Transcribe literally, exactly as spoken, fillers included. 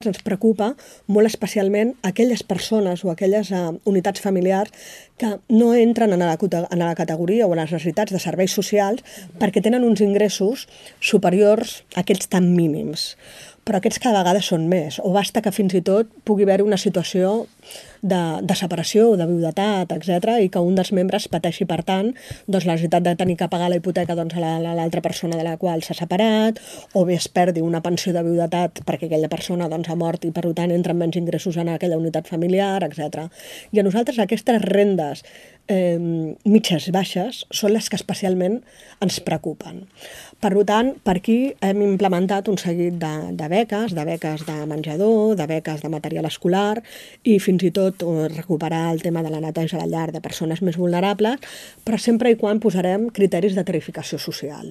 Ens preocupa molt especialment aquelles persones o aquelles uh, unitats familiars que no entren en la, en la categoria o en les necessitats de serveis socials perquè tenen uns ingressos superiors a aquests tan mínims. Però aquests cada vegada són més, o basta que fins i tot pugui haver una situació de, de separació o de viudetat, etcètera, i que un dels membres pateixi, per tant, doncs, la necessitat de tenir que pagar la hipoteca doncs, a l'altra persona de la qual s'ha separat, o bé es perdi una pensió de viudetat perquè aquella persona doncs, ha mort i, per tant, entren menys ingressos en aquella unitat familiar, etcètera. I a nosaltres aquestes rendes eh, mitges i baixes són les que especialment ens preocupen. Per tant, per aquí hem implementat un seguit de, de beques, de beques de menjador, de beques de material escolar i fins i tot recuperar el tema de la neteja a la llar de persones més vulnerables, però sempre i quan posarem criteris de tarificació social.